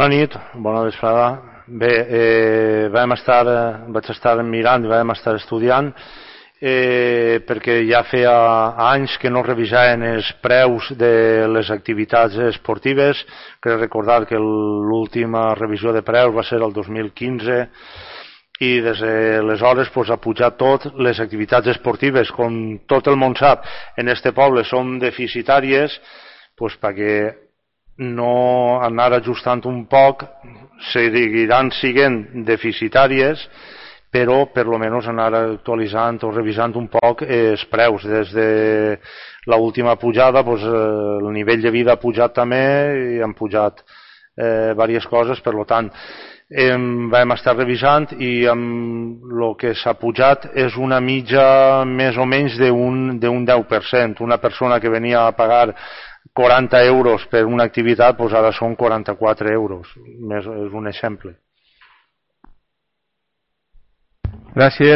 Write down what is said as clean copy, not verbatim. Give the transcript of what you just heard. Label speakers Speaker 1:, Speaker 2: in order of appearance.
Speaker 1: Bona nit, bona vesprada. Bé, vaig estar mirant i vam estar estudiant perquè ja feia anys que no revisaven els preus de les activitats esportives. Crec recordar que l'última revisió de preus va ser el 2015 i des d'aleshores ha pujat tot. Les activitats esportives, com tot el món sap, en este poble són deficitàries, perquè no anar ajustant un poc, seguiran sent deficitàries, però per lo menos anar actualitzant o revisant un poc els preus. Des de l'última pujada el nivell de vida ha pujat també i han pujat diverses coses, per tant vam estar revisant i el que s'ha pujat és una mitja més o menys d'un 10%. Una persona que venia a pagar 40 euros per una activitat, ara són 44 euros. És un exemple.
Speaker 2: Gràcies.